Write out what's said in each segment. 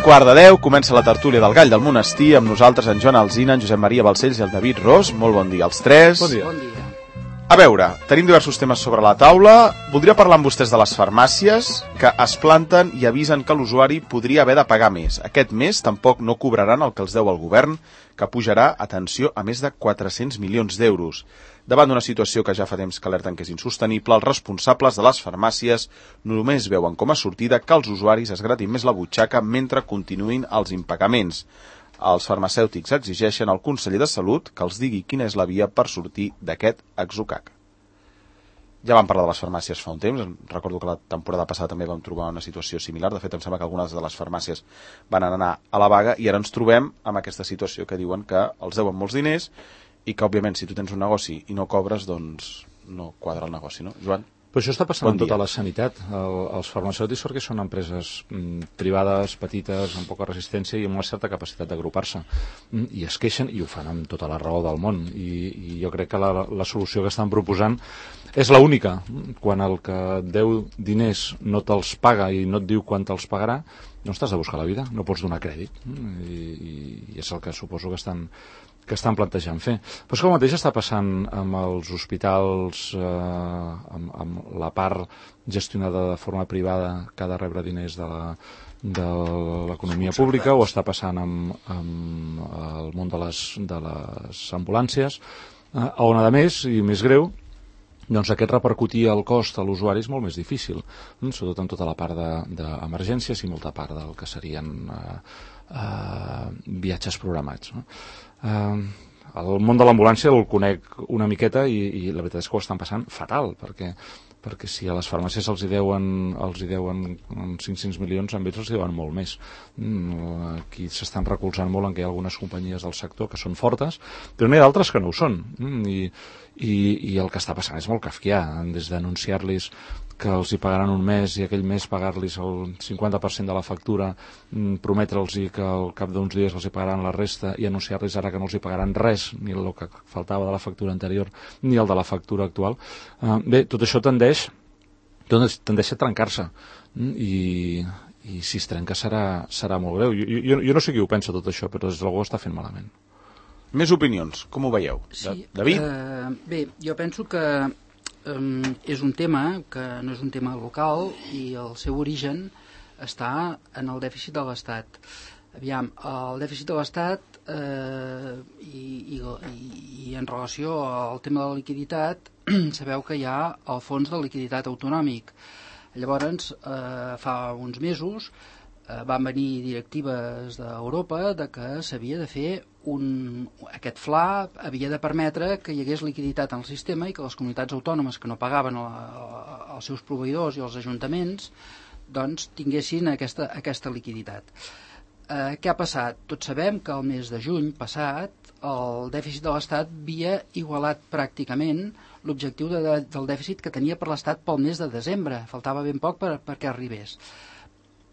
9:15, comença la tertúlia del Gall del Monestir, amb nosaltres en Joan Alsina, en Josep Maria Balcells i el David Ros. Molt bon dia als tres. Bon dia. Bon dia. A veure, tenim diversos temes sobre la taula. Voldria parlar amb vostès de les farmàcies que es planten i avisen que l'usuari podria haver de pagar més. Aquest mes tampoc no cobraran el que els deu el govern, que pujarà, atenció, a més de 400 milions d'euros. Davant d'una situació que ja fa temps que alerten que és insostenible, els responsables de les farmàcies només veuen com a sortida que els usuaris es gratin més la butxaca mentre continuïn els impagaments. Els farmacèutics exigeixen al conseller de Salut que els digui quina és la via per sortir d'aquest atzucac. Ja vam parlar de les farmàcies fa un temps, recordo que la temporada passada també vam trobar una situació similar, de fet em sembla que algunes de les farmàcies van anar a la vaga i ara ens trobem amb aquesta situació que diuen que els deuen molts diners i que òbviament si tu tens un negoci i no cobres doncs no quadra el negoci, no? Joan? Però això està passant en tota la sanitat. Els farmacèutics perquè són empreses privades, petites, amb poca resistència i amb una certa capacitat d'agrupar-se. I es queixen, i ho fan amb tota la raó del món. I jo crec que la solució que estan proposant és l'única. Quan el que et deu diners no te'ls paga i no et diu quan te'ls pagarà, no t'has de buscar la vida, no pots donar crèdit. I és el que suposo que estan plantejant fer. Però és que el mateix està passant amb els hospitals, amb la part gestionada de forma privada que ha de rebre diners de l'economia pública, o està passant amb el món de les ambulàncies, on a més, i més greu, doncs aquest repercutir el cost a l'usuari és molt més difícil, sobretot en tota la part d'emergències i molta part del que serien viatges programats, no? El món de l'ambulància el conec una miqueta i la veritat és que ho estan passant fatal, perquè si a les farmàcies els hi deuen 500 milions, a ells els hi deuen molt més. Aquí s'estan recolzant molt en que hi ha algunes companyies del sector que són fortes, però n'hi ha d'altres que no ho són. I el que està passant és molt kafkià, des d'anunciar-los que els hi pagaran un mes i aquell mes pagar-los el 50% de la factura, prometre'ls que al cap d'uns dies els hi pagaran la resta i anunciar-los ara que no els hi pagaran res, ni el que faltava de la factura anterior ni el de la factura actual. Bé, tot això tendeix a trencar-se i si es trenca serà molt greu. Jo no sé qui ho pensa tot això, però des de algú està fent malament. Més opinions, com ho veieu? Sí, David? Bé, jo penso que és un tema que no és un tema local i el seu origen està en el dèficit de l'Estat. Aviam, el dèficit de l'Estat i en relació al tema de la liquiditat, sabeu que hi ha el fons de liquiditat autonòmic. Llavors, fa uns mesos van venir directives d'Europa de que s'havia de fer aquest FLA havia de permetre que hi hagués liquiditat en el sistema i que les comunitats autònomes que no pagaven als seus proveïdors i als ajuntaments doncs tinguessin aquesta liquiditat. Què ha passat? Tots sabem que el mes de juny passat el dèficit de l'Estat havia igualat pràcticament l'objectiu del dèficit que tenia per l'Estat pel mes de desembre. Faltava ben poc perquè arribés.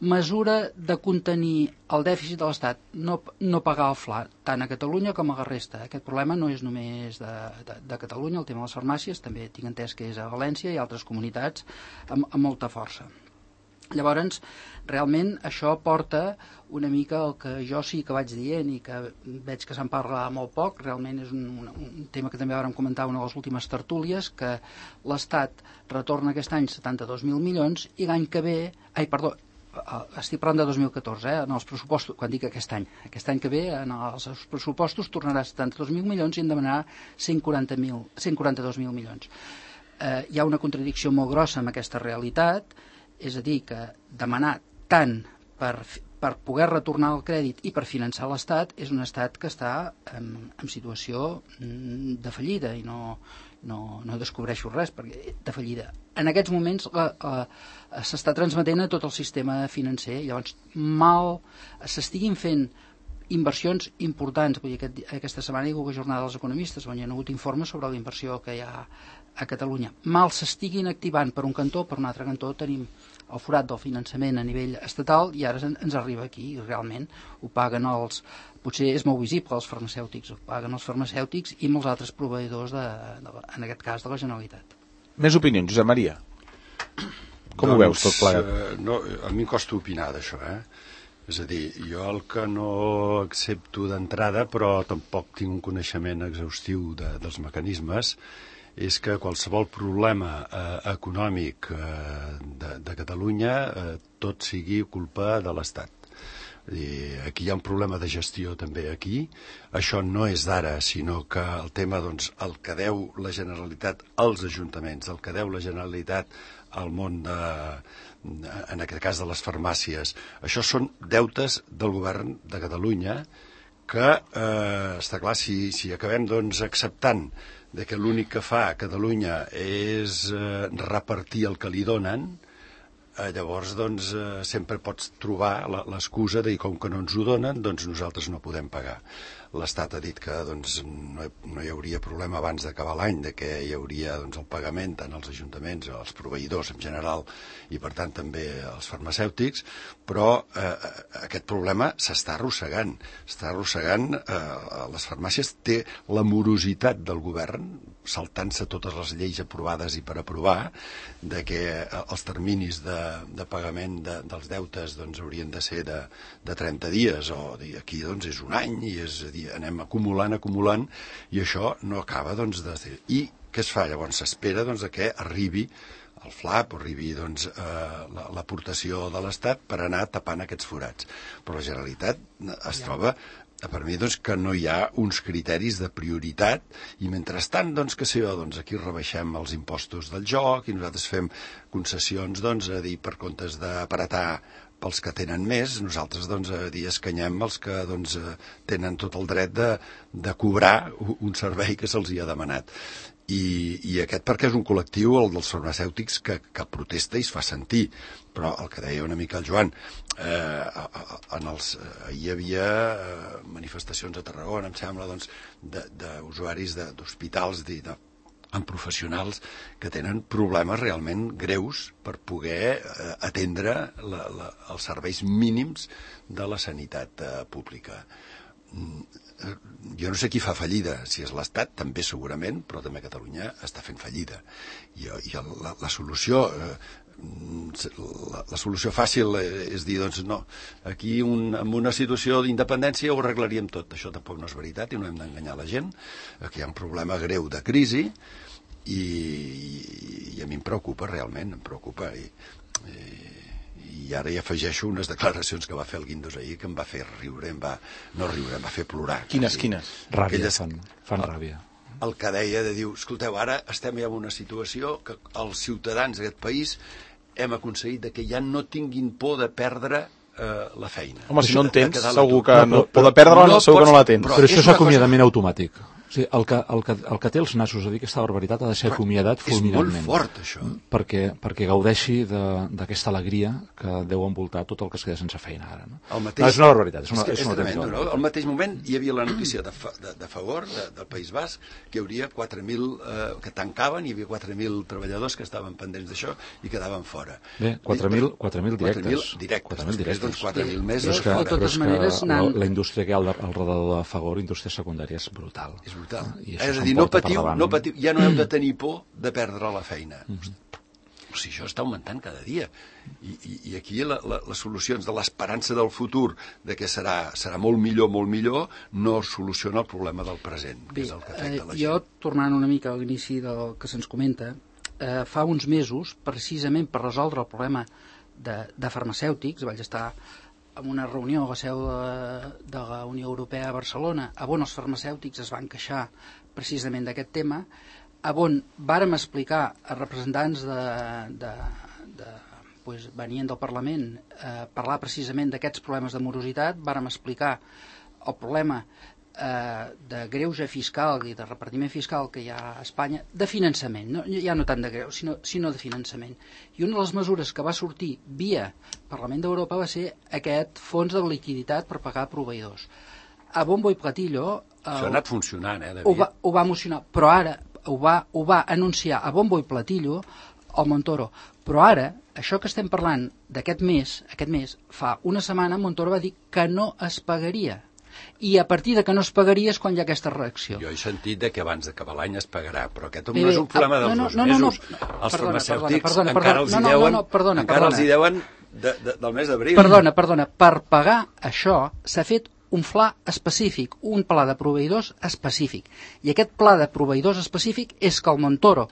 Mesura de contenir el dèficit de l'Estat, no pagar el FLA, tant a Catalunya com a la resta. Aquest problema no és només de Catalunya, el tema de les farmàcies, també tinc entès que és a València i altres comunitats amb molta força. Llavors, realment això porta una mica el que jo sí que vaig dient i que veig que se'n parla molt poc, realment és un tema que també vam comentar en una de les últimes tertúlies, que l'Estat retorna aquest any 72.000 milions i l'any que ve, estic parlant de 2014, en els pressupostos, quan dic aquest any que ve, en els pressupostos tornarà 72.000 milions i en demanarà 142.000 milions. Hi ha una contradicció molt grossa amb aquesta realitat, és a dir, que demanar tant per poder retornar el crèdit i per finançar l'Estat és un estat que està en situació de fallida i no descobreixo res de fallida. En aquests moments s'està transmetent a tot el sistema financer, llavors mal s'estiguin fent inversions importants. Vull dir, aquesta setmana hi ha hagut jornada dels economistes on hi ha hagut informes sobre la inversió que hi ha a Catalunya. Mal s'estiguin activant per un cantó, per un altre cantó tenim el forat del finançament a nivell estatal i ara ens arriba aquí i realment ho paguen potser és molt visible els farmacèutics, ho paguen els farmacèutics i molts altres proveïdors, en aquest cas de la Generalitat. Més opinions, Josep Maria? Com ho veus tot plegat? No, a mi em costa opinar d'això, És a dir, jo el que no accepto d'entrada, però tampoc tinc un coneixement exhaustiu dels mecanismes, és que qualsevol problema econòmic de Catalunya tot sigui culpa de l'Estat. Aquí hi ha un problema de gestió també aquí. Això no és d'ara, sinó que el tema, doncs, el que deu la Generalitat als ajuntaments, el que deu la Generalitat al món en aquest cas de les farmàcies, això són deutes del govern de Catalunya que, està clar, si acabem doncs acceptant de que l'únic que fa Catalunya és repartir el que li donen, llavors doncs sempre pots trobar l'excusa de dir com que no ens ho donen, doncs nosaltres no podem pagar. L'Estat ha dit que doncs, no hi hauria problema abans d'acabar l'any, de que hi hauria doncs, el pagament tant als ajuntaments, als proveïdors en general i per tant també als farmacèutics, però aquest problema s'està arrossegant. Les farmàcies té la morositat del govern, saltant-se totes les lleis aprovades i per aprovar, de que els terminis de pagament dels deutes doncs, haurien de ser de 30 dies, o aquí doncs, és un any, i és a dir, anem acumulant, i això no acaba doncs, de ser. I què es fa? Llavors s'espera doncs, que arribi el FLAP o arribi doncs, l'aportació de l'Estat per anar tapant aquests forats. Però la Generalitat es troba, per mi, doncs, que no hi ha uns criteris de prioritat, i mentrestant, doncs, que sé jo, doncs, aquí rebaixem els impostos del joc i nosaltres fem concessions, doncs, a dir, per comptes d'apretar pels que tenen més, nosaltres doncs, escanyem els que doncs, tenen tot el dret de cobrar un servei que se'ls hi ha demanat. I aquest perquè és un col·lectiu, el dels farmacèutics, que protesta i es fa sentir. Però el que deia una mica el Joan, hi havia manifestacions a Tarragona, em sembla, doncs, d'usuaris d'hospitals, amb professionals que tenen problemes realment greus per poder atendre els serveis mínims de la sanitat pública. Jo no sé qui fa fallida, si és l'Estat, també segurament, però també Catalunya està fent fallida. I la solució fàcil és dir, doncs no, aquí en una situació d'independència ho arreglaríem tot. Això tampoc no és veritat i no hem d'enganyar la gent. Aquí hi ha un problema greu de crisi i a mi em preocupa realment, em preocupa. I ara hi afegeixo unes declaracions que va fer el Guindos ahir que em va fer riure, em va fer plorar. Quines? Ràbia, fan ràbia. El que deia de dir, escolteu, ara estem ja en una situació que els ciutadans d'aquest país hem aconseguit que ja no tinguin por de perdre la feina. Home, si no en tens, segur que por de perdre-la segur que no la tens. Però això és acomiadament automàtic. O sigui, el que té els nassos a dir aquesta barbaritat ha de ser acomiadat fulminantment. És molt fort, això. Perquè gaudeixi d'aquesta alegria que deu envoltar tot el que es queda sense feina ara. No? És una barbaritat. És tremendo, no? Al mateix moment hi havia la notícia de Fagor, del País Basc, que hi hauria 4.000 que tancaven, hi havia 4.000 treballadors que estaven pendents d'això i quedaven fora. Bé, 4.000 directes. 4.000 directes. Doncs 4.000 més. Però és que la indústria que hi ha al redador de Fagor, indústria secundària, és brutal. És brutal. És a dir, no patiu, ja no heu de tenir por de perdre la feina. O sigui, això està augmentant cada dia. I aquí les solucions de l'esperança del futur, de que serà molt millor, no soluciona el problema del present, que és el que afecta la gent. Jo, tornant una mica a l'inici del que se'ns comenta, fa uns mesos, precisament per resoldre el problema de farmacèutics, vaig estar en una reunió a la seu de la Unió Europea a Barcelona, on els farmacèutics es van queixar precisament d'aquest tema, on vàrem explicar a representants venien del Parlament parlar precisament d'aquests problemes de morositat, vàrem explicar el problema de greuge fiscal i de repartiment fiscal que hi ha a Espanya, de finançament, ja no tant de greu, sinó de finançament. I una de les mesures que va sortir via Parlament d'Europa va ser aquest fons de liquiditat per pagar proveïdors. A bombo i platillo... Això ha anat funcionant, David? Ho va emocionar, però ara ho va anunciar a bombo i platillo el Montoro. Però ara, això que estem parlant d'aquest mes, fa una setmana Montoro va dir que no es pagaria. I a partir de que no es pagaria és quan hi ha aquesta reacció. Jo he sentit que abans d'acabar l'any es pagarà, però aquest no és un problema dels 2 mesos. Els farmacèutics encara els hi deuen del mes d'abril. Perdona, per pagar això s'ha fet un fla específic, un pla de proveïdors específic. I aquest pla de proveïdors específic és que el Montoro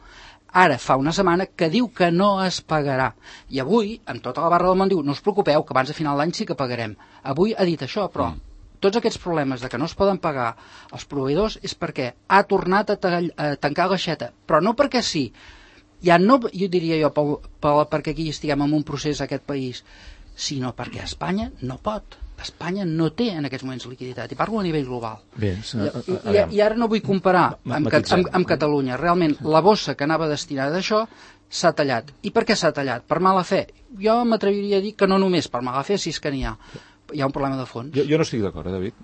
ara fa una setmana que diu que no es pagarà. I avui, amb tota la barra del món, diu no us preocupeu, que abans de final d'any sí que pagarem. Avui ha dit això, però tots aquests problemes de que no es poden pagar els proveïdors és perquè ha tornat a tancar l'aixeta, però no perquè sí. Ja no, jo diria jo, perquè aquí estiguem en un procés a aquest país, sinó perquè Espanya no pot. Espanya no té en aquests moments liquiditat, i parlo a nivell global. Bé, I ara no vull comparar amb Catalunya. Realment, la bossa que anava destinada a això s'ha tallat. I per què s'ha tallat? Per mala fe. Jo m'atreviria a dir que no només per mala fe, si és que n'hi ha un problema de fons. Jo no estic d'acord, David.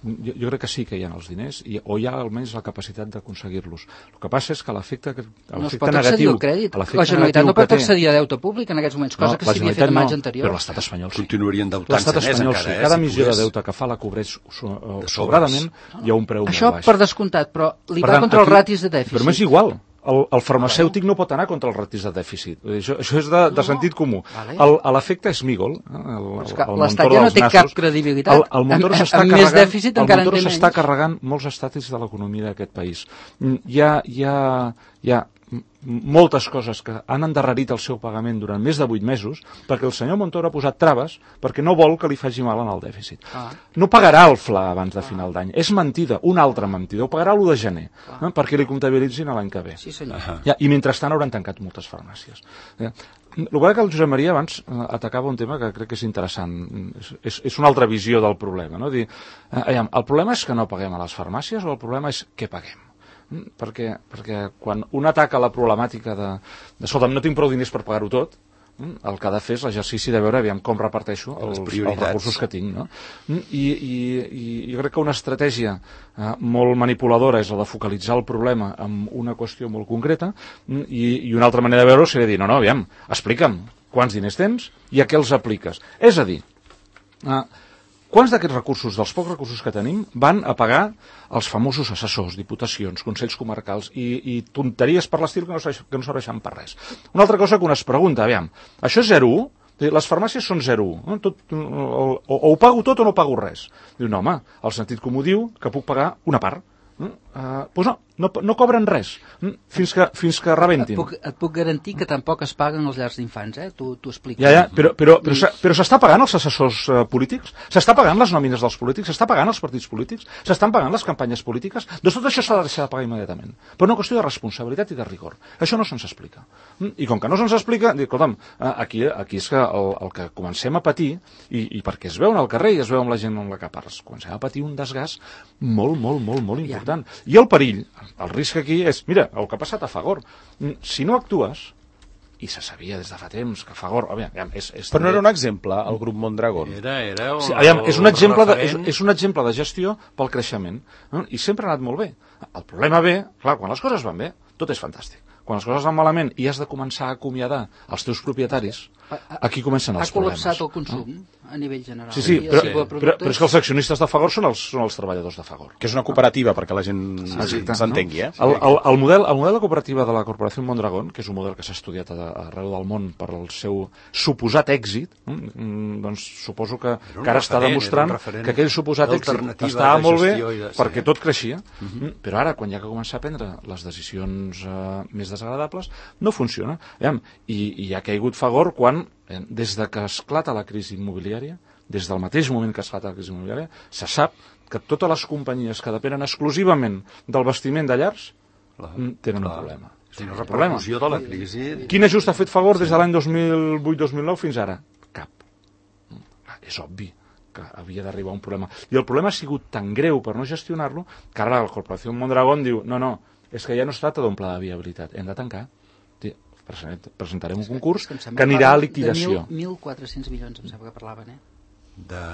Jo crec que sí que hi ha els diners, o hi ha almenys la capacitat d'aconseguir-los. El que passa és que l'efecte negatiu... No es pot accedir al crèdit. La Generalitat no pot accedir a deute públic en aquests moments, cosa que s'havia fet en anys anteriors. Però l'estat espanyol sí. Continuarien endeutant-se més encara. Cada emissió de deute que fa la cobreix sobradament, hi ha un preu molt baix. Això per descomptat, però li va contra els ratis de dèficit. Però m'és igual. El farmacèutic no pot anar contra els ratis de dèficit. Això és de sentit comú. L'efecte Smigol, l'Estat ja no té cap credibilitat. El Montoro s'està carregant molts estàtics de l'economia d'aquest país. Hi ha moltes coses que han endarrerit el seu pagament durant més de 8 mesos perquè el senyor Montoro ha posat traves perquè no vol que li faci mal en el dèficit. No pagarà el FLA abans de final d'any. És mentida, una altra mentida. Ho pagarà l'1 de gener perquè li comptabilitzin l'any que ve. Sí, senyor. I mentrestant hauran tancat moltes farmàcies. El que el Josep Maria abans atacava un tema que crec que és interessant. És una altra visió del problema. No? El problema és que no paguem a les farmàcies o el problema és què paguem? Perquè quan un ataca la problemàtica escolta'm, no tinc prou diners per pagar-ho tot, el que ha de fer és l'exercici de veure com reparteixo els recursos que tinc. No? I jo crec que una estratègia molt manipuladora és la de focalitzar el problema en una qüestió molt concreta i una altra manera de veure-ho seria dir, aviam, explica'm quants diners tens i a què els apliques. És a dir, quants d'aquests recursos, dels pocs recursos que tenim, van a pagar els famosos assessors, diputacions, consells comarcals i tonteries per l'estil que no serveixen per res? Una altra cosa que un es pregunta, aviam, això és 0,1? Les farmàcies són 0,1. O ho pago tot o no pago res. Diu, no, home, el sentit comú diu que puc pagar una part. Doncs no cobren res fins que rebentin. Et puc garantir que tampoc es paguen els llars d'infants, t'ho explico. Però s'està pagant els assessors polítics? S'està pagant les nòmines dels polítics? S'està pagant els partits polítics? S'estan pagant les campanyes polítiques? Doncs tot això s'ha de deixar de pagar immediatament. Per una qüestió de responsabilitat i de rigor. Això no se'ns explica. I com que no se'ns explica, dic, escolta'm, aquí és que el que comencem a patir, i perquè es veuen al carrer i es veu amb la gent amb la que parles, comencem a patir un desgast molt important. I el perill, el risc aquí és, mira, el que ha passat a Fagor. Si no actues, i se sabia des de fa temps que Fagor... Però no era un exemple, el grup Mondragón? És un exemple de gestió pel creixement. I sempre ha anat molt bé. El problema ve, clar, quan les coses van bé, tot és fantàstic. Quan les coses van malament i has de començar a acomiadar els teus propietaris, aquí comencen els problemes. Ha col·lapsat el consum a nivell general. Sí, però és que els accionistes de Fagor són els treballadors de Fagor. Que és una cooperativa, perquè la gent s'entengui. El model de cooperativa de la Corporació Mondragón, que és un model que s'ha estudiat arreu del món per al seu suposat èxit, doncs suposo que ara està demostrant que aquell suposat èxit estava molt bé perquè tot creixia, però ara, quan hi ha que començar a prendre les decisions més desagradables, no funciona. I ha caigut Fagor quan, des de que esclata la crisi immobiliària, des del mateix moment que esclata la crisi immobiliària, se sap que totes les companyies que depenen exclusivament del bastiment de llars tenen un problema. La repercussió de la crisi... Quin ajust ha fet Fagor des de l'any 2008-2009 fins ara? Cap. És obvi que havia d'arribar un problema. I el problema ha sigut tan greu per no gestionar-lo que ara la Corporació Mondragón diu no, és que ja no es tracta d'un pla de viabilitat, hem de tancar. Presentarem un concurs que anirà a liquidació. De 1.400 milions, em sembla que parlaven, de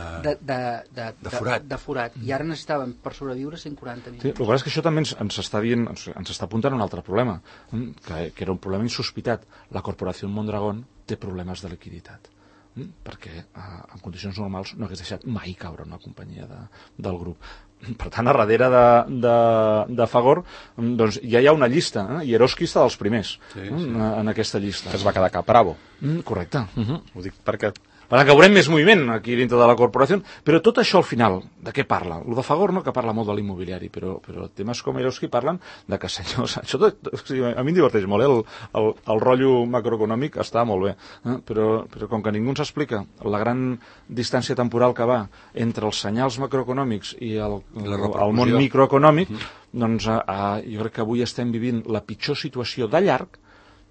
forat. I ara necessitaven per sobreviure 140 milions. El que és que això també ens està apuntant un altre problema, que era un problema insospitat. La Corporació Mondragón té problemes de liquiditat, perquè en condicions normals no hagués deixat mai caure una companyia del grup. Per tant, a darrere de Fagor doncs ja hi ha una llista, i Eroski està dels primers en aquesta llista. Que es va quedar cap Bravo. Correcte. Ho dic perquè... Per tant, que veurem més moviment aquí dintre de la corporació, però tot això al final, de què parla? El de Fagor no, que parla molt de l'immobiliari, però temes com Eroski parlen de que, senyors, això tot, o sigui, a mi em diverteix molt, el rotllo macroeconòmic està molt bé, però com que ningú ens explica la gran distància temporal que va entre els senyals macroeconòmics i el món microeconòmic, doncs jo crec que avui estem vivint la pitjor situació de llarg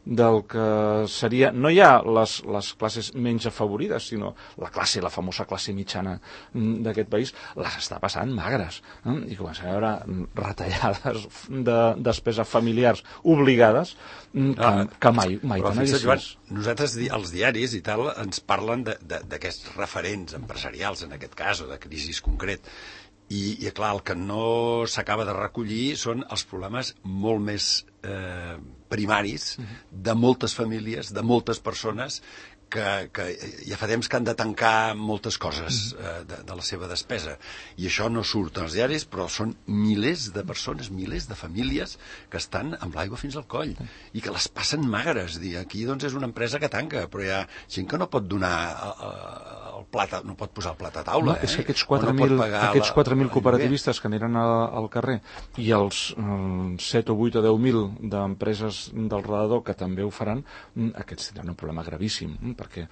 del que seria, no ja les classes menys afavorides, sinó la famosa classe mitjana d'aquest país, les està passant magres, i comencem a veure retallades de despeses familiars obligades que mai tan addicions. Nosaltres, els diaris i tal, ens parlen d'aquests referents empresarials, en aquest cas, o de crisis concret, i clar, el que no s'acaba de recollir són els problemes molt més primaris de moltes famílies, de moltes persones que ja fa temps que han de tancar moltes coses de la seva despesa. I això no surt als diaris, però són milers de persones, milers de famílies que estan amb l'aigua fins al coll i que les passen magres. Aquí doncs és una empresa que tanca, però hi ha gent que no pot donar el plat, no pot posar el plat a taula. És que aquests 4.000 cooperativistes que aniran al carrer i els 7 o 8 o 10.000 d'empreses del redador que també ho faran, aquests tindran un problema gravíssim, perquè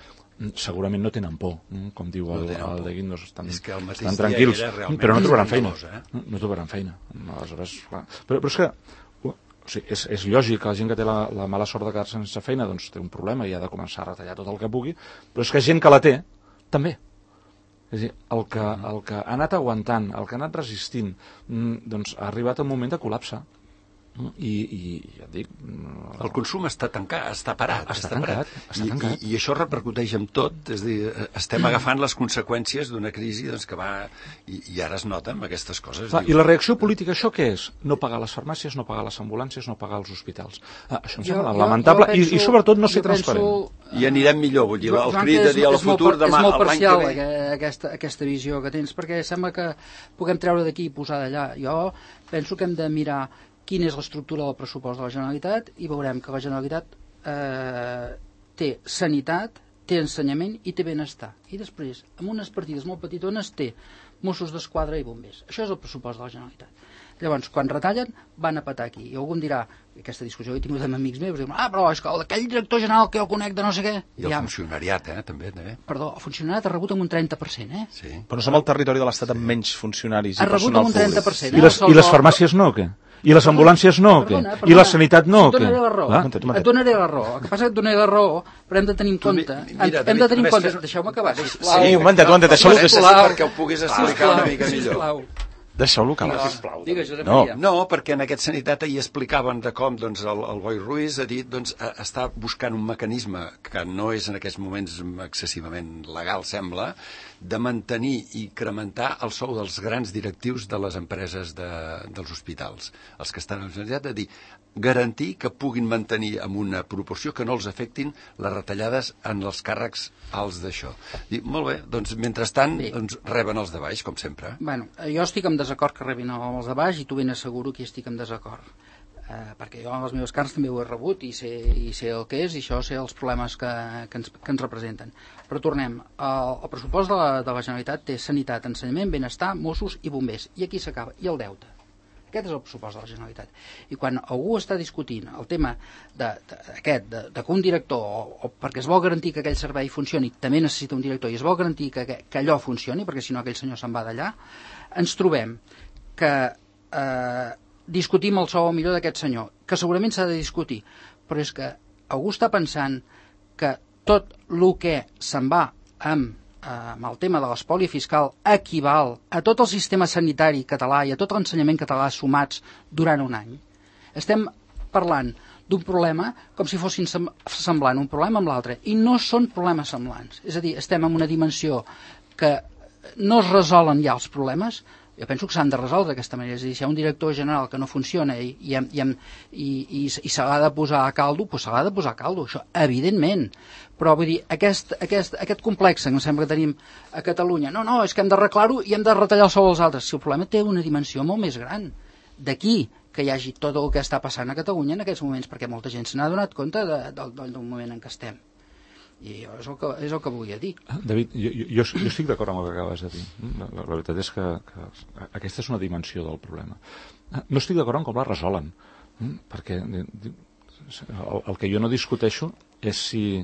segurament no tenen por, com diu el de Guindos, estan tranquils, però no trobaran feina. No trobaran feina. Aleshores, clar. Però és que és lògic que la gent que té la mala sort de quedar-se sense feina doncs té un problema i ha de començar a retallar tot el que pugui, però és que gent que la té també. És a dir, el que ha anat aguantant, el que ha anat resistint, doncs ha arribat un moment de col·lapse. I ja et dic... El consum està tancat, està parat. Està tancat. I això repercuteix en tot, és a dir, estem agafant les conseqüències d'una crisi doncs, que va... I ara es noten aquestes coses. I la reacció política, això què és? No pagar les farmàcies, no pagar les ambulàncies, no pagar els hospitals. Això em sembla lamentable i sobretot no ser transparent. I anirem millor, vull dir, el crit de dir al futur demà, és molt parcial aquesta visió que tens, perquè sembla que puguem treure d'aquí i posar d'allà. Jo penso que hem de mirar quina és l'estructura del pressupost de la Generalitat i veurem que la Generalitat té sanitat, té ensenyament i té benestar. I després, amb unes partides molt petitones, té Mossos d'Esquadra i bombers. Això és el pressupost de la Generalitat. Llavors, quan retallen, van a petar aquí. I algú em dirà, aquesta discussió he tingut amb amics meus, diuen, però és que aquell director general que jo conec de no sé què... I el funcionariat, també. Perdó, el funcionariat ha rebut amb un 30%, Sí. Però no som el territori de l'Estat amb menys funcionaris i Ha personal rebut amb un 30%. I les farmàcies no, o què? I les ambulàncies no, o què? I la sanitat no, o què? Et donaré la raó. El que passa és que et donaré la raó, però hem de tenir en compte... Deixeu-me acabar, sisplau. Sí, un momentet, deixeu-lo... Perquè ho puguis explicar una mica millor. Deixeu-lo acabar. No, perquè en aquest sanitat ahir explicaven de com doncs, el Boi Ruiz ha dit doncs, està buscant un mecanisme que no és en aquests moments excessivament legal, sembla, de mantenir i incrementar el sou dels grans directius de les empreses dels hospitals. Els que estan en la sanitat, de dir, garantir que puguin mantenir amb una proporció que no els afectin les retallades en els càrrecs alts d'això. Molt bé, doncs mentrestant doncs, reben els de baix, com sempre. Bueno, jo estic en desacord que rebin els de baix i tu ben asseguro que estic en desacord. Perquè jo amb les meves carns també ho he rebut i sé el que és i això sé els problemes que ens representen. Però tornem, el pressupost de la Generalitat té sanitat, ensenyament, benestar, Mossos i bombers. I aquí s'acaba. I el deute. Aquest és el pressupost de la Generalitat. I quan algú està discutint el tema de que un director, o perquè es vol garantir que aquell servei funcioni, també necessita un director, i es vol garantir que allò funcioni, perquè si no aquell senyor se'n va d'allà, ens trobem que discutim el sou millor d'aquest senyor, que segurament s'ha de discutir, però és que algú està pensant que tot el que se'n va amb el tema de l'espoli fiscal equival a tot el sistema sanitari català i a tot l'ensenyament català sumats durant un any. Estem parlant d'un problema com si fossin semblant un problema amb l'altre, i no són problemes semblants. És a dir, estem en una dimensió que no es resolen ja els problemes, Jo penso que s'han de resoldre d'aquesta manera. És a dir, si hi ha un director general que no funciona i se l'ha de posar a caldo, doncs se l'ha de posar a caldo, això, evidentment. Però vull dir, aquest complex que em sembla que tenim a Catalunya, no, és que hem d'arreglar-ho i hem de retallar el sou als altres. Si el problema té una dimensió molt més gran. D'aquí que hi hagi tot el que està passant a Catalunya en aquests moments, perquè molta gent se n'ha donat compte del moment en què estem. I és el que volia dir. David, jo estic d'acord amb el que acabes de dir. La veritat és que aquesta és una dimensió del problema. No estic d'acord en com la resolen, perquè el que jo no discuteixo és si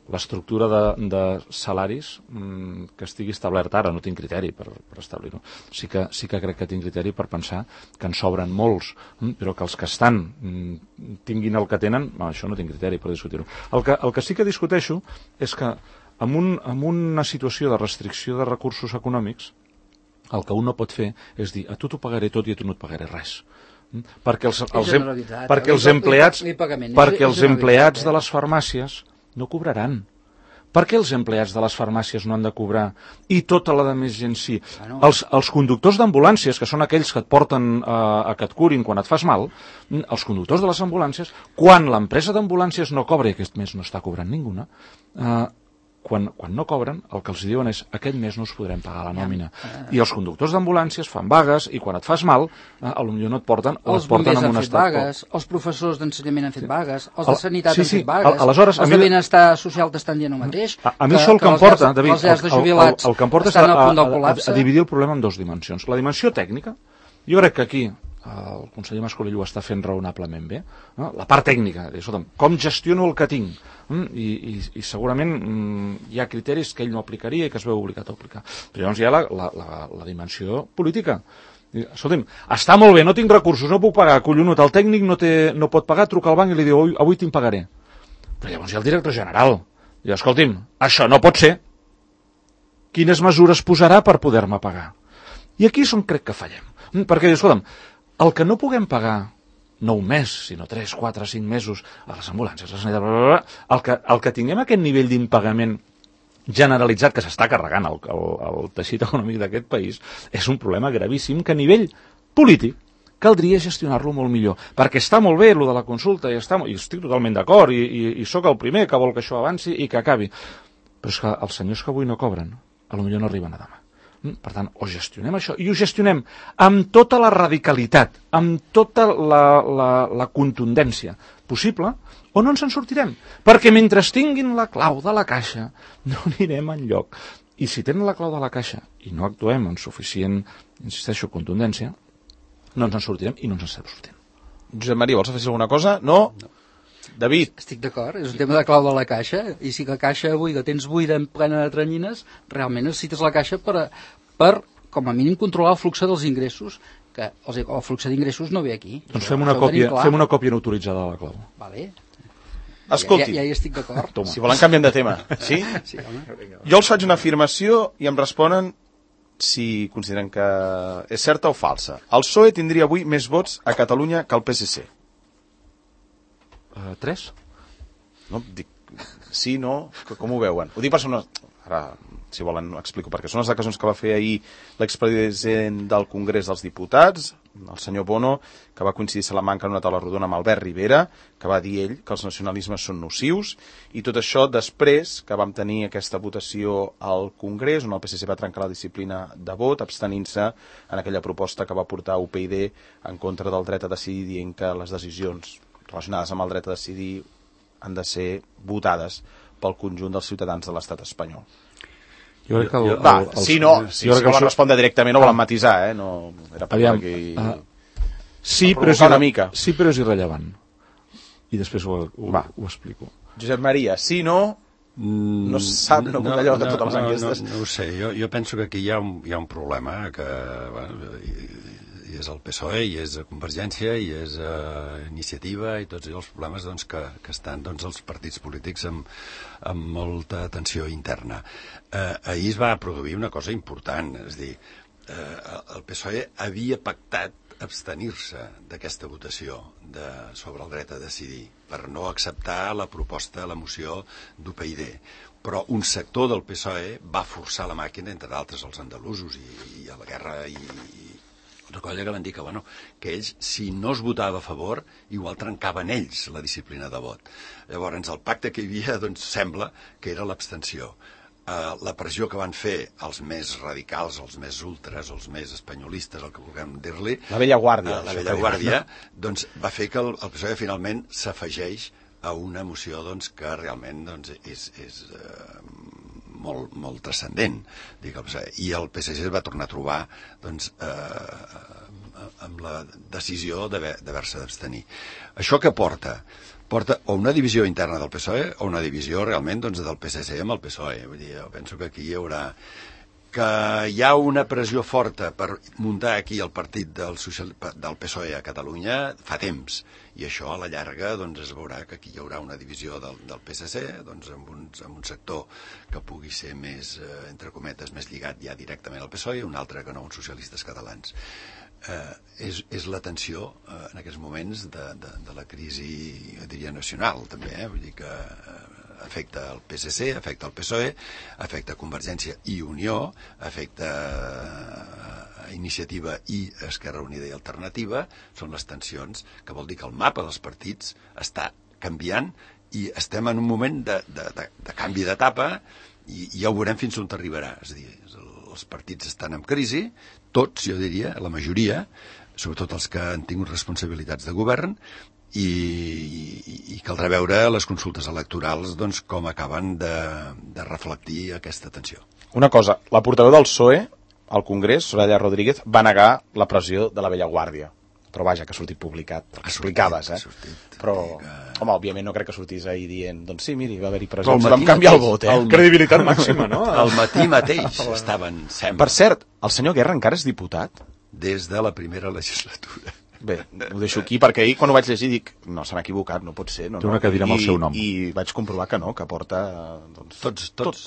l'estructura de salaris que estigui establert ara, no tinc criteri per establir-ho. Sí que crec que tinc criteri per pensar que en sobren molts, però que els que estan tinguin el que tenen, això no tinc criteri per discutir-ho. El que sí que discuteixo és que en una situació de restricció de recursos econòmics, el que un no pot fer és dir, a tu t'ho pagaré tot i a tu no et pagaré res. Perquè els empleats de les farmàcies no cobraran. Per què els empleats de les farmàcies no han de cobrar i tota la més gent sí? Els conductors d'ambulàncies, que són aquells que et porten a que et curin quan et fas mal, els conductors de les ambulàncies, quan l'empresa d'ambulàncies no cobra, i aquest mes no està cobrant ninguna, quan no cobren, el que els diuen és aquest mes no us podrem pagar la nòmina. I els conductors d'ambulàncies fan vagues i quan et fas mal, potser no et porten o et porten en un estat... vagues, els professors d'ensenyament han fet vagues, els de sanitat han fet vagues, els de benestar social t'estan dient el mateix. A mi això el que em porta, David, el que em porta és a dividir el problema en dues dimensions. La dimensió tècnica, jo crec que aquí el conseller Mas-Colell ho està fent raonablement bé, no? La part tècnica, com gestiono el que tinc, i segurament hi ha criteris que ell no aplicaria i que es veu obligat a aplicar. Però llavors hi ha la dimensió política. Escolta'm, està molt bé, no tinc recursos, no puc pagar, collonut, el tècnic no pot pagar, truca al banc i li diu, avui te'n pagaré. Però llavors hi ha el director general. Diu, escolti'm, això no pot ser. Quines mesures posarà per poder-me pagar? I aquí és on crec que fallem. Perquè, escolta'm, el que no puguem pagar no un mes, sinó 3, 4, 5 mesos a les ambulàncies, a la sanitat, el que tinguem aquest nivell d'impagament generalitzat que s'està carregant el teixit econòmic d'aquest país és un problema gravíssim que a nivell polític caldria gestionar-lo molt millor, perquè està molt bé lo de la consulta i estic totalment d'acord i sóc el primer que vol que això avanci i que acabi, però és que els senyors que avui no cobren potser no arriben a demà. Per tant, o gestionem això, i ho gestionem amb tota la radicalitat, amb tota la contundència possible, o no ens en sortirem. Perquè mentre tinguin la clau de la caixa, no anirem enlloc. I si tenen la clau de la caixa i no actuem amb suficient, insisteixo, contundència, no ens en sortirem i no ens en estem sortint. Josep Maria, vols afegir alguna cosa? No? David. Estic d'acord, és un tema de clau de la caixa, i si la caixa avui la tens buida en plena de tranyines, realment necessites la caixa per com a mínim, controlar el flux dels ingressos, que el flux d'ingressos no ve aquí. Doncs fem una còpia no autoritzada de la clau. Vale. Escolti, ja hi estic d'acord. Si volen canviem de tema. Sí? Sí, home. Jo els faig una afirmació i em responen si consideren que és certa o falsa. El PSOE tindria avui més vots a Catalunya que el PSC. 3? No, dic sí, no, com ho veuen? Ho dic per sonar... Ara, si volen, ho explico, perquè són les declaracions que va fer ahir l'expresident del Congrés dels Diputats, el senyor Bono, que va coincidir a Salamanca en una taula rodona amb Albert Rivera, que va dir ell que els nacionalismes són nocius, i tot això després que vam tenir aquesta votació al Congrés, on el PSC va trencar la disciplina de vot, abstenint-se en aquella proposta que va portar UPyD en contra del dret a decidir, dient que les decisions relacionades amb el dret a decidir han de ser votades pel conjunt dels ciutadans de l'estat espanyol. Jo crec que si volen respondre directament no volen matisar, no era per aquí... Sí, però és irrellevant. I després ho explico. Josep Maria, sí, no sap, no allò de totes les enquestes. No ho sé, jo penso que aquí hi ha un problema que... i és el PSOE, i és Convergència, i és Iniciativa, i tots els problemes que estan els partits polítics amb molta tensió interna. Ahir es va produir una cosa important, és a dir, el PSOE havia pactat abstenir-se d'aquesta votació sobre el dret a decidir, per no acceptar la proposta, la moció d'UPyD. Però un sector del PSOE va forçar la màquina, entre d'altres els andalusos i a la guerra i una colla que van dir que ells, si no es votava a favor, igual trencaven ells la disciplina de vot. Llavors, el pacte que hi havia, doncs, sembla que era l'abstenció. La pressió que van fer els més radicals, els més ultras, els més espanyolistes, el que vulguem dir-li... La vella guàrdia. La vella guàrdia, doncs, va fer que el PSOE finalment s'afegeix a una moció doncs, que realment doncs, és molt transcendent. I el PSC es va tornar a trobar doncs, amb la decisió d'haver-se d'abstenir. Això què porta? Porta o una divisió interna del PSOE o una divisió realment doncs, del PSC amb el PSOE. Vull dir, jo penso que aquí hi haurà... Que hi ha una pressió forta per muntar aquí el partit del PSOE a Catalunya fa temps, i això a la llarga doncs, es veurà que aquí hi haurà una divisió del PSC doncs, amb un sector que pugui ser més, entre cometes, més lligat ja directament al PSOE, i un altre que no, uns socialistes catalans. És la tensió en aquests moments de la crisi, jo diria, nacional també, vull dir que afecta el PSC, afecta el PSOE, afecta Convergència i Unió, afecta Iniciativa i Esquerra Unida i Alternativa. Són les tensions, que vol dir que el mapa dels partits està canviant i estem en un moment de canvi d'etapa i ja ho veurem fins on arribarà. És a dir, els partits estan en crisi, tots, jo diria, la majoria, sobretot els que han tingut responsabilitats de govern, i caldrà veure les consultes electorals doncs, com acaben de reflectir aquesta tensió. Una cosa, la portaveu del PSOE al Congrés, Soraya Rodríguez, va negar la pressió de la vella guàrdia. Però vaja, que ha sortit publicat, perquè explicaves, Però, home, òbviament no crec que sortís ahir dient, doncs sí, miri, va haver-hi pressió, vam canviar el vot, Credibilitat màxima, no? Al matí mateix estaven, sembla. Per cert, el senyor Guerra encara és diputat? Des de la primera legislatura. Bé, ho deixo aquí, perquè ahir quan ho vaig llegir dic, no, s'han equivocat, no pot ser. Té una cadira amb el seu nom. I vaig comprovar que no, que porta... Tots.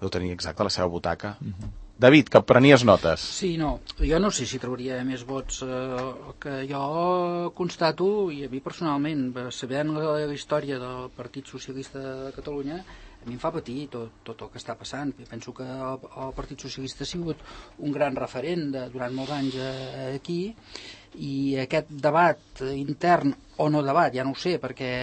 Deu tenir exacte la seva butaca. David, que prenies notes. Sí, no, jo no sé si trauria més vots que jo constato, i a mi personalment, sabent la història del Partit Socialista de Catalunya, a mi em fa patir tot el que està passant. Jo penso que el Partit Socialista ha sigut un gran referent durant molts anys aquí, i aquest debat intern, o no debat, ja no ho sé, perquè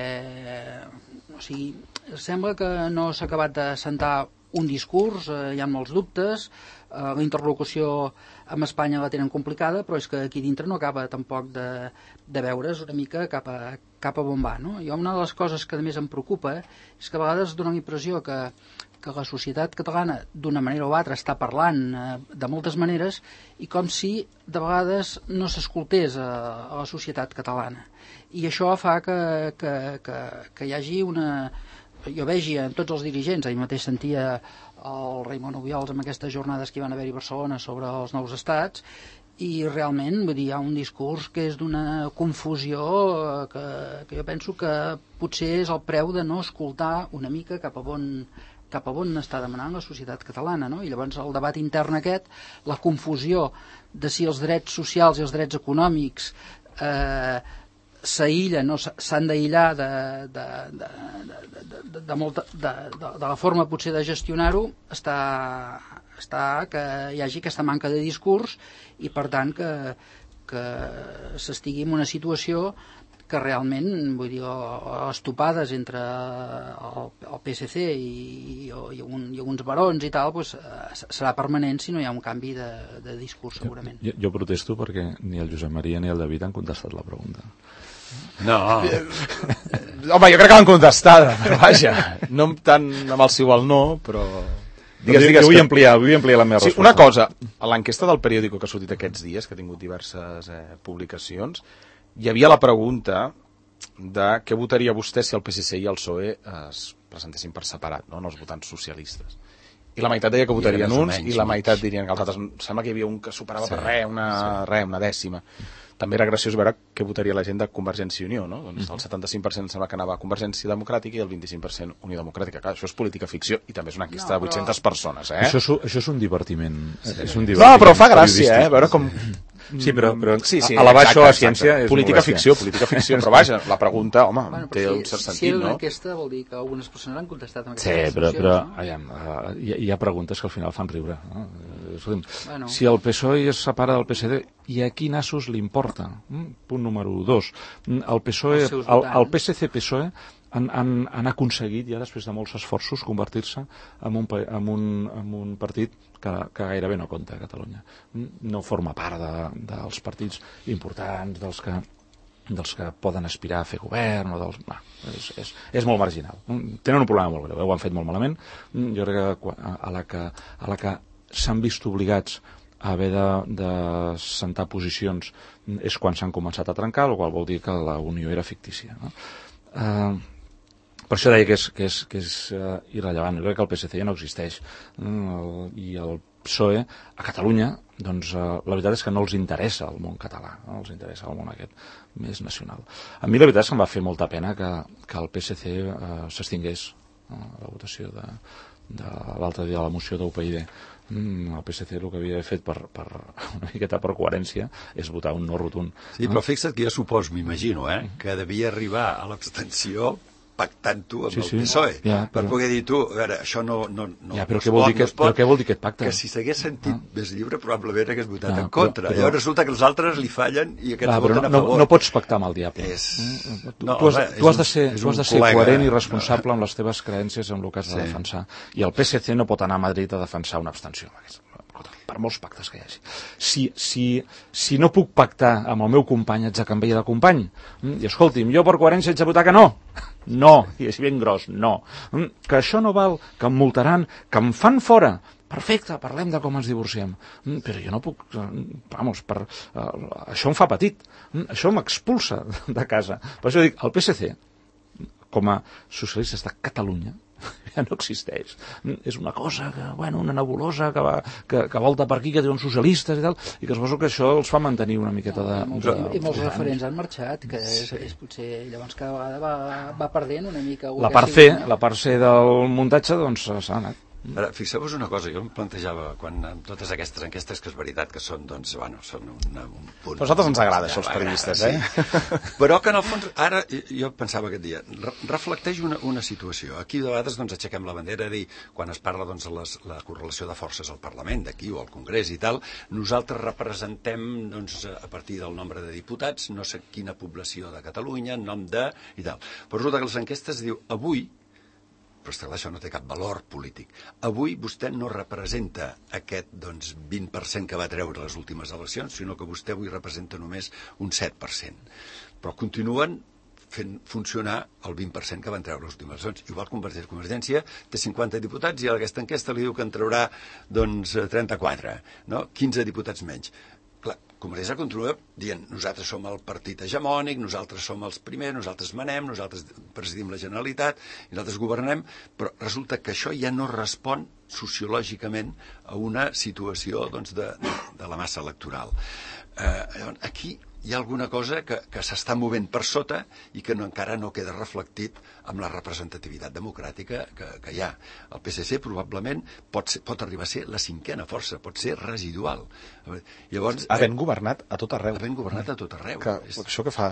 o sigui, sembla que no s'ha acabat de sentar un discurs, hi ha molts dubtes, la interlocució amb Espanya la tenen complicada, però és que aquí dintre no acaba tampoc de veure's una mica cap a on va, no? I una de les coses que a més em preocupa és que a vegades dona la impressió que la societat catalana d'una manera o altra està parlant de moltes maneres, i com si de vegades no s'escoltés a la societat catalana, i això fa que hi hagi una... Jo vegi en tots els dirigents, ahir mateix sentia el Raimon Obiols amb aquestes jornades que hi van haver-hi a Barcelona sobre els nous estats, i realment vull dir, hi ha un discurs que és d'una confusió que jo penso que potser és el preu de no escoltar una mica cap a on està demanant la societat catalana, no? I llavors el debat intern aquest, la confusió de si els drets socials i els drets econòmics s'aïllen o s'han d'aïllar de la forma potser de gestionar-ho, està que hi hagi aquesta manca de discurs, i per tant que s'estigui en una situació que realment, vull dir, les topades entre el PSC i uns barons i tal, doncs, serà permanent si no hi ha un canvi de discurs, segurament. Jo protesto perquè ni el Josep Maria ni el David han contestat la pregunta. No. Home, jo crec que l'han contestada, però vaja, no tant amb el sí o el no, però... Digues, vull ampliar la meva resposta. Una cosa, a l'enquesta del periòdico que ha sortit aquests dies, que ha tingut diverses publicacions, hi havia la pregunta de què votaria vostè si el PSC i el PSOE es presentessin per separat, no? Els votants socialistes. I la meitat deia que votarien uns i la meitat dirien que els altres. Sembla que hi havia un que superava per una dècima. També era graciós veure què votaria la gent de Convergència i Unió, no? Doncs el 75% sembla que anava a Convergència Democràtica i el 25% Unió Democràtica. Clar, això és política ficció i també és una enquesta de 800 persones, Això és un divertiment. No, però fa gràcia, veure com... Sí, però sí, elevar això a ciència és política ficció, però vaja, la pregunta, home, té un cert sentit, no? Si era una enquesta vol dir que algunes persones han contestat amb aquestes qüestions. Sí, però hi ha preguntes que al final fan riure. No? Si el PSOE es separa del PSD, i a quin nassos li importa? Punt número 2. El PSOE, el PSC-PSOE han aconseguit ja després de molts esforços convertir-se en un partit que gairebé no compta a Catalunya. No forma part dels partits importants, dels que poden aspirar a fer govern, és molt marginal. Tenen un problema molt greu, ho han fet molt malament. Jo crec que a la que s'han vist obligats a haver de sentar posicions és quan s'han començat a trencar, el qual vol dir que la unió era fictícia, no? Per això deia que és irrellevant. Jo crec que el PSC ja no existeix. I el PSOE a Catalunya, doncs la veritat és que no els interessa el món català, no els interessa el món aquest més nacional. A mi la veritat és que em va fer molta pena que el PSC s'extingués a la votació de l'altre dia de la moció d'UPyD. El PSC el que havia fet una miqueta per coherència és votar un no rotund. Sí, però fixa't que jo suposo, m'imagino, que devia arribar a l'abstenció pactant-ho amb el PSOE, per poder dir tu, a veure, això no però què vol dir aquest pacte? Que si s'hagués sentit més lliure probablement hagués votat en contra. Llavors resulta que els altres li fallen i aquests voten a favor. No pots pactar amb el diable. Tu has de ser coherent i responsable amb les teves creences, amb el que has de defensar. I el PSC no pot anar a Madrid a defensar una abstenció. Per molts pactes que hi hagi. Si no puc pactar amb el meu company, haig de canviar de company. I escolti'm, jo per coherència haig de votar que no. No, i és ben gros, no. Que això no val, que em multaran, que em fan fora. Perfecte, parlem de com ens divorciem. Però jo no puc... això em fa petit. Això m'expulsa de casa. Per això dic, el PSC, com a socialistes de Catalunya, ja no existeix. És una cosa, una nebulosa que volta per aquí, que té uns socialistes i tal, i que suposo que això els fa mantenir una miqueta de... I molts referents han marxat, que és potser llavors cada vegada va perdent una mica... La part C del muntatge, doncs, s'ha anat. Ara, fixeu-vos una cosa, jo em plantejava, quan amb totes aquestes enquestes, que és veritat que són, doncs, són un punt... A nosaltres ens agrada, això, els periodistes, sí. Però que, en el fons, ara, jo pensava aquest dia, reflecteix una situació. Aquí, de vegades, doncs, aixequem la bandera, dir, quan es parla, doncs, la correlació de forces al Parlament, d'aquí, o al Congrés i tal, nosaltres representem, doncs, a partir del nombre de diputats, no sé quina població de Catalunya, en nom de... i tal. Però resulta que les enquestes diu, avui, però és clar, això no té cap valor polític. Avui vostè no representa aquest 20% que va treure les últimes eleccions, sinó que vostè avui representa només un 7%. Però continuen fent funcionar el 20% que van treure les últimes eleccions. Igual Convergència té 50 diputats i a aquesta enquesta li diu que en traurà 34, no? 15 diputats menys. Clar, Convergència continua dient nosaltres som el partit hegemònic, nosaltres som els primers, nosaltres manem, nosaltres presidim la Generalitat, nosaltres governem, però resulta que això ja no respon sociològicament a una situació de la massa electoral. Aquí hi ha alguna cosa que s'està movent per sota i que encara no queda reflectit amb la representativitat democràtica que hi ha. El PSC probablement pot arribar a ser la cinquena força, pot ser residual. Llavors, havent governat a tot arreu. Havent governat a tot arreu. Això que fa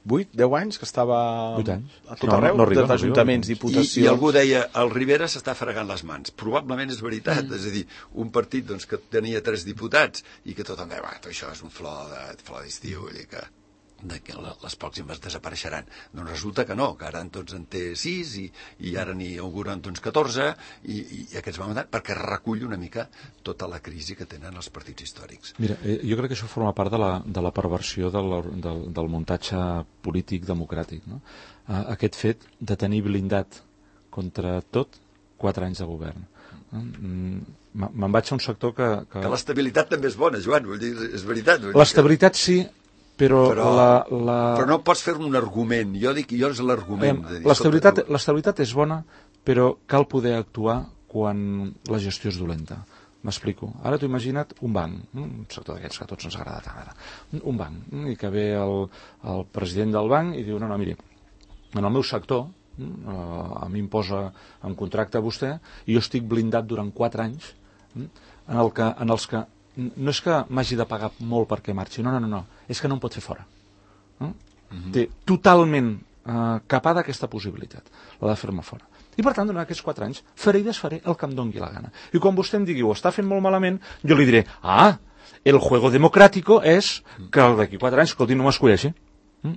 8-10 anys que estava 8 anys. A tot arreu, d'ajuntaments, diputacions... I algú deia, el Rivera s'està fregant les mans. Probablement és veritat, és a dir, un partit que tenia 3 diputats i que tothom deia, això és un flor d'estiu, que les pròximes desapareixeran. Doncs resulta que no, que ara tots en té 6 i ara n'hi auguren 14 i aquests van mandar perquè recull una mica tota la crisi que tenen els partits històrics. Mira, jo crec que això forma part de la perversió del muntatge polític democràtic, no? Aquest fet de tenir blindat contra tot 4 anys de govern. Me'n vaig a un sector que l'estabilitat també és bona, Joan, vull dir, és veritat. L'estabilitat sí, però no pots fer un argument. Jo és l'argument. L'estabilitat és bona, però cal poder actuar quan la gestió és dolenta. M'explico. Ara t'ho imagina't un banc, un sector d'aquests que a tots ens agrada tant ara. Un banc, i que ve el president del banc i diu, no, miri, en el meu sector, a mi em posa en contracte a vostè i jo estic blindat durant 4 anys en els que no és que m'hagi de pagar molt perquè marxi, no, és que no em pot fer fora. Té totalment capada aquesta possibilitat, la de fer-me fora. I per tant, durant aquests 4 anys, faré i desfaré el que em doni la gana. I quan vostè em digui, ho està fent molt malament, jo li diré, el juego democràtico és que d'aquí 4 anys, escolti, no m'escolleixi.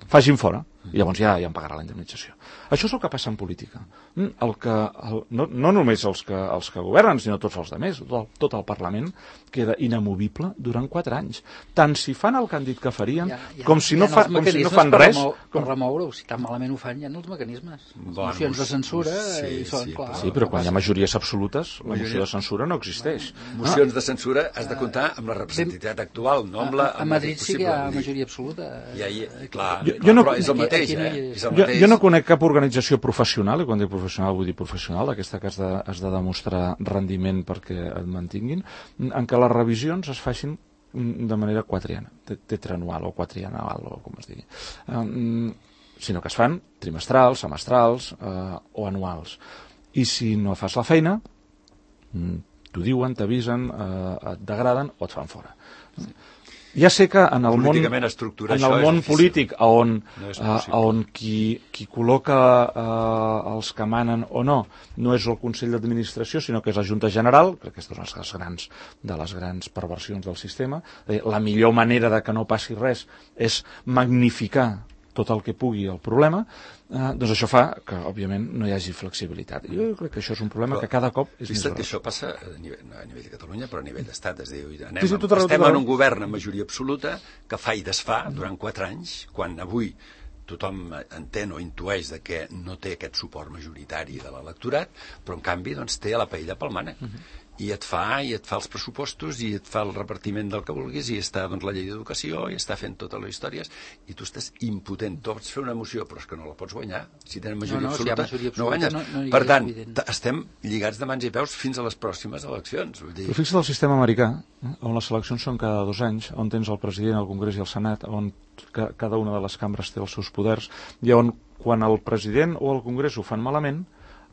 Facin fora, i llavors ja em pagarà la indemnització. Això és el que passa en política. No només els que governen, sinó tots els altres, tot el Parlament queda inamovible durant 4 anys. Tant si fan el que han dit que farien, com si no fan res. Per remoure-ho, si tan malament ho fan, hi ha els mecanismes. Mocions de censura, i són, clar. Sí, però quan hi ha majories absolutes, la moció de censura no existeix. Mocions de censura has de comptar amb la representativitat actual, no amb la... A Madrid sí que hi ha majoria absoluta. Clar, però és el mateix, Jo no conec cap organització professional, i quan dic professional vull dir professional, d'aquesta que has de demostrar rendiment perquè et mantinguin, en què les revisions es facin de manera tetranual o quatrianual, o com es digui. Sinó que es fan trimestrals, semestrals o anuals. I si no fas la feina, t'ho diuen, t'avisen, et degraden o et fan fora. Ja sé que en el món polític on qui col·loca els que manen o no és el Consell d'Administració, sinó que és la Junta General, que aquesta és una de les grans perversions del sistema. La millor manera de que no passi res és magnificar tot el que pugui el problema, doncs això fa que, òbviament, no hi hagi flexibilitat. Jo crec que això és un problema que cada cop és més gros. Que això passa a nivell de Catalunya, però a nivell d'Estat. Es diu, estem en un govern amb majoria absoluta que fa i desfà durant 4 anys, quan avui tothom entén o intueix que no té aquest suport majoritari de l'electorat, però en canvi té a la paella pel mànec. I et fa els pressupostos, i et fa el repartiment del que vulguis, i està la llei d'educació, i està fent totes les històries, i tu estàs impotent. Tu pots fer una moció, però és que no la pots guanyar. Si tenen majoria absoluta, no guanyes. Per tant, estem lligats de mans i peus fins a les pròximes eleccions. Però fixa't el sistema americà, on les eleccions són cada 2 anys, on tens el president, el Congrés i el Senat, on cada una de les cambres té els seus poders, i on quan el president o el Congrés ho fan malament,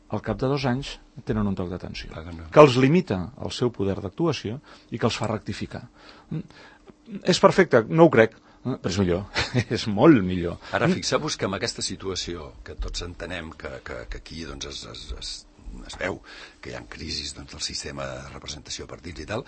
al cap de 2 anys tenen un toc d'atenció, que els limita el seu poder d'actuació i que els fa rectificar. És perfecte? No ho crec, però és millor, és molt millor. Ara fixeu-vos que amb aquesta situació, que tots entenem que aquí es veu que hi ha crisis del sistema de representació de partits i tal,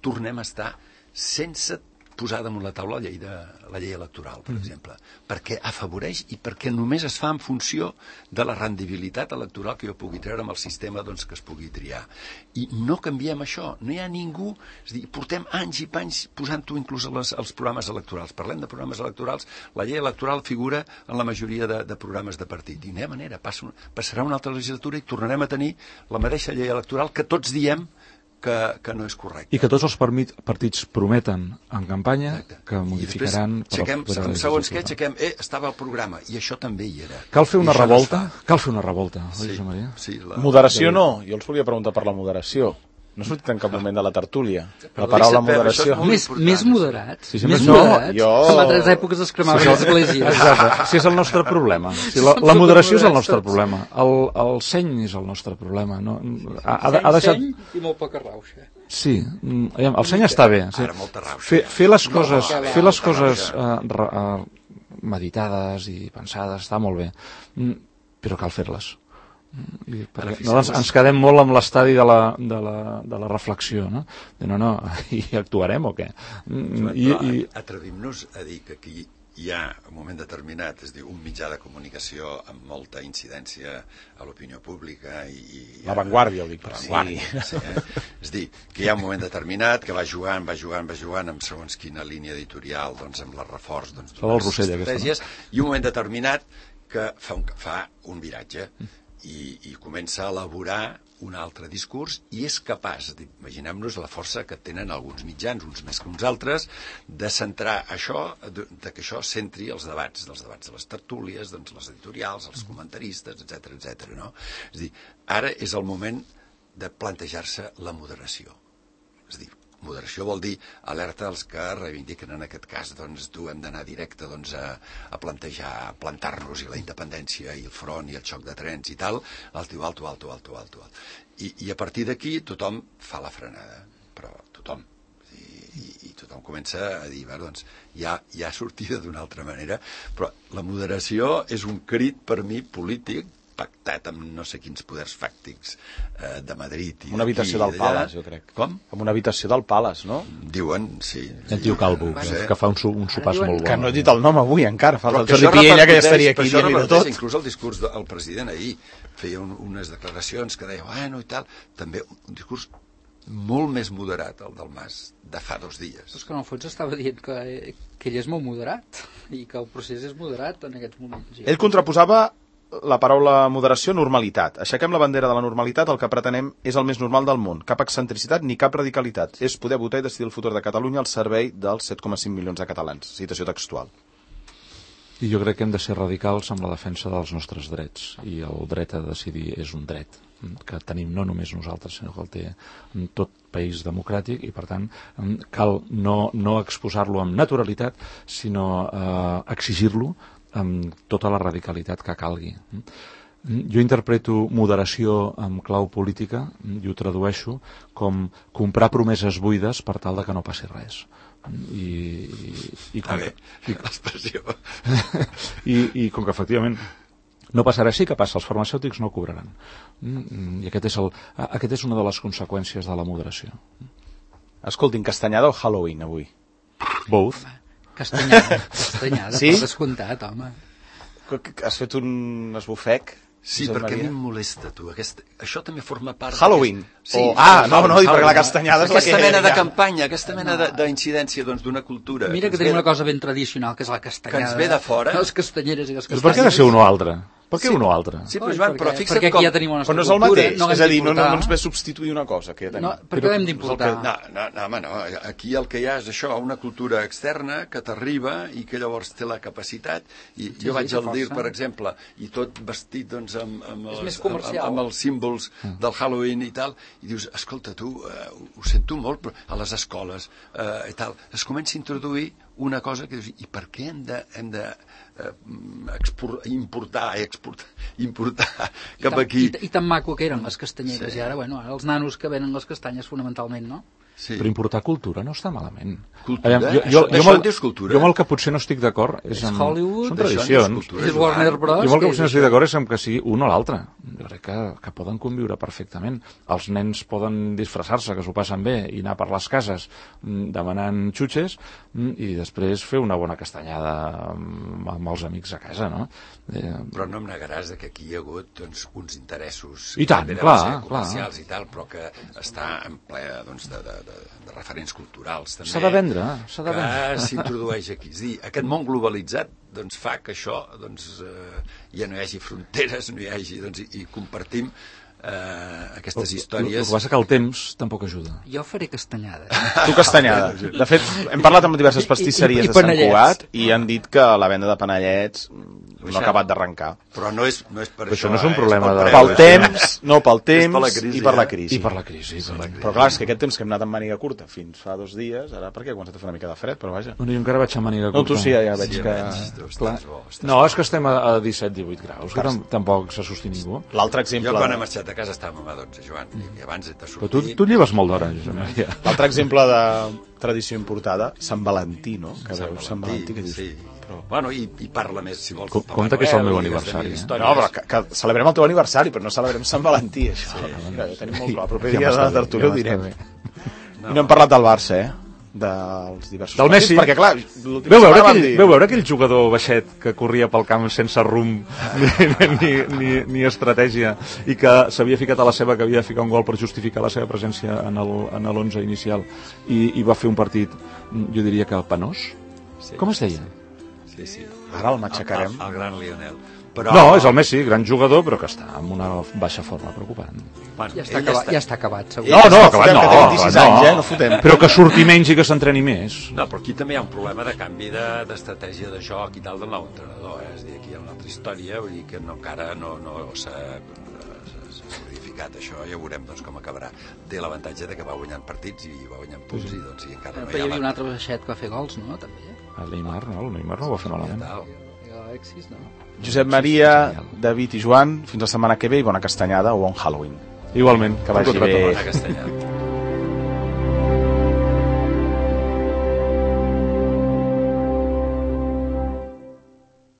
tornem a estar sense posar damunt la taula la llei electoral, per exemple, perquè afavoreix i perquè només es fa en funció de la rendibilitat electoral que jo pugui treure amb el sistema que es pugui triar. I no canviem això, no hi ha ningú, és a dir, portem anys i panys posant-ho inclús als programes electorals. Parlem de programes electorals, la llei electoral figura en la majoria de programes de partit, i no hi ha manera, passarà una altra legislatura i tornarem a tenir la mateixa llei electoral que tots diem que no és correcte. I que tots els partits prometen en campanya que modificaran... Segons què, estava al programa, i això també hi era. Cal fer una revolta? Cal fer una revolta, oi, Josep Maria? Moderació no, jo els volia preguntar per la moderació. No ha sortit en cap moment de la tertúlia. La paraula moderació. Més moderats? Més moderats? En altres èpoques es cremaven les esglésies. Exacte, si és el nostre problema. La moderació és el nostre problema. El seny és el nostre problema. Seny i molt poca rauxa. Sí, el seny està bé. Fer les coses meditades i pensades està molt bé, però cal fer-les. Ens quedem molt amb l'estadi de la reflexió, no? I actuarem o què? Atrevim-nos a dir que aquí hi ha un moment determinat, és a dir, un mitjà de comunicació amb molta incidència a l'opinió pública i la Vanguardia, ho dic per sí, és a dir, que hi ha un moment determinat que va jugant amb segons quina línia editorial, amb el reforç de les estratègies, i un moment determinat que fa un viratge i comença a elaborar un altre discurs i és capaç, imaginem-nos la força que tenen alguns mitjans, uns més que uns altres, de centrar això, que això centri els debats de les tertúlies, les editorials, els comentaristes, etc. No? És a dir, ara és el moment de plantejar-se la moderació. És a dir, moderació vol dir alerta als que reivindiquen en aquest cas tu hem d'anar directe a plantar-nos i la independència i el front i el xoc de trens i tal, alto. I a partir d'aquí tothom fa la frenada, però tothom. tothom comença a dir, doncs, hi ha sortida d'una altra manera, però la moderació és un crit per mi polític, pactat amb no sé quins poders fàctics de Madrid. Una habitació del Palace, jo crec. Com? Amb una habitació del Palace, no? Diuen, sí. El tio Calvo, que fa un sopars molt bo. Que no he dit el nom avui encara, fa el Jordi Piella, que ja estaria aquí dient-hi de tot. Inclús el discurs del president ahir feia unes declaracions que deia, bueno, i tal, també un discurs molt més moderat, el del Mas, de fa 2 dies. És que en el fons estava dient que ell és molt moderat i que el procés és moderat en aquests moments. Ell contraposava la paraula moderació, normalitat. Aixequem la bandera de la normalitat, el que pretenem és el més normal del món. Cap excentricitat ni cap radicalitat. És poder votar i decidir el futur de Catalunya al servei dels 7,5 milions de catalans. Citació textual. I jo crec que hem de ser radicals amb la defensa dels nostres drets. I el dret a decidir és un dret que tenim no només nosaltres, sinó que el té tot país democràtic i, per tant, cal no exposar-lo amb naturalitat, sinó exigir-lo amb tota la radicalitat que calgui. Jo interpreto moderació amb clau política i ho tradueixo com comprar promeses buides per tal de que no passi res. L'expressió. I com que efectivament no passarà així, que passa? Els farmacèutics no cobraran. I aquest és una de les conseqüències de la moderació. Escoltin, castanyada o Halloween avui? Both. Castanyada, sí? per descomptat, home. Has fet un esbufec? Sí, perquè a mi em molesta, tu. Això també forma part... Halloween? Sí, perquè la castanyada és la que... Aquesta mena de campanya, aquesta mena d'incidència d'una cultura... Mira que tenim una cosa ben tradicional, que és la castanyada. Que ens ve de fora. Les castanyeres i les castanyes. Per què ha de ser un o altre? Per què un o altre? Sí, però fixa't perquè com... ja tenim una però no és el mateix, és a dir, no ens ve substituir una cosa que ja tenim. No, perquè l'hem d'importar. No, aquí el que hi ha és això, una cultura externa que t'arriba i que llavors té la capacitat, i jo vaig al DIR, per exemple, i tot vestit doncs amb els símbols del Halloween i tal, i dius, escolta, tu, ho sento molt, però a les escoles i tal, es comença a introduir una cosa que dius, i per què hem de importar cap aquí? I tan maco que eren les castanyeres, sí. I ara, bueno, els nanos que venen les castanyes fonamentalment, no? Sí. Però importar cultura no està malament. Cultura? Això en dius cultura? Jo amb el que potser no estic d'acord és amb... Hollywood, són tradicions. És Warner Bros. Jo amb el que potser no estic d'acord és amb que sigui un o l'altre. Jo crec que poden conviure perfectament. Els nens poden disfressar-se, que s'ho passen bé, i anar per les cases demanant xutxes i després fer una bona castanyada amb els amics a casa, no? Però no em negaràs que aquí hi ha hagut uns interessos i tant, clar, comercials i tal, però que està en ple doncs, de referents culturals també, s'ha de vendre que s'introdueix aquí. És dir, aquest món globalitzat doncs, fa que això ja no hi hagi fronteres, no hi hagi, i compartim aquestes històries. El que passa que el temps tampoc ajuda. Jo faré castanyada. Tu castanyada. De fet, hem parlat amb diverses pastisseries de Sant Cugat i han dit que la venda de panellets no ha acabat d'arrencar. Però no és per això. Això no és un problema pel temps i per la crisi. I per la crisi. Però clar, és que aquest temps que hem anat amb màniga curta fins fa 2 dies, ara perquè ha començat a fer una mica de fred, però vaja. No, jo encara vaig amb màniga curta. No, tu sí, ja veig que... No, és que estem a 17-18 graus, que tampoc se sosté ningú. L'altre exemple... Jo quan he marxat a casa estàvem a 12, Joan, i abans de sortir... Però tu lleves molt d'hora, Josep Maria. L'altre exemple de tradició importada, Sant Valentí, no? Que veus Sant Valentí, que dius... Sí. Bueno, i parla més, si vols. Compte que és el meu aniversari. No, però que celebrem el teu aniversari, però no celebrem Sant Valentí, això. Mira, ho tenim molt clar. El proper dia de tertúlia ho direm. I no hem parlat del Barça, dels diversos del Messi, perquè clar, veu veure aquell jugador baixet que corria pel camp sense rumb ni estratègia i que s'havia ficat a la seva, que havia de ficar un gol per justificar la seva presència en l'11 inicial i va fer un partit, jo diria que penós. Com es deia? Sí. Ara el matxacarem. El gran Lionel. Però... No, és el Messi, gran jugador, però que està en una baixa forma preocupant. Bueno, ja està acabat, segur. No, acabat no. Que té 26 anys, no fotem. Però que surti menys i que s'entreni més. No, però aquí també hi ha un problema de canvi d'estratègia de joc i tal del nou entrenador. És a dir, aquí hi ha una altra història, vull dir que encara no s'ha solidificat això, ja veurem com acabarà. Té l'avantatge de que va guanyant partits i va guanyant punts i encara no hi ha... Però hi havia un altre baixet que va fer gols, no? També. El Neymar no ho va fer malament. Alexis, no? Josep Maria, David i Joan, fins la setmana que ve i bona castanyada o bon Halloween. Igualment. Que vagi bé. Bona castanyada.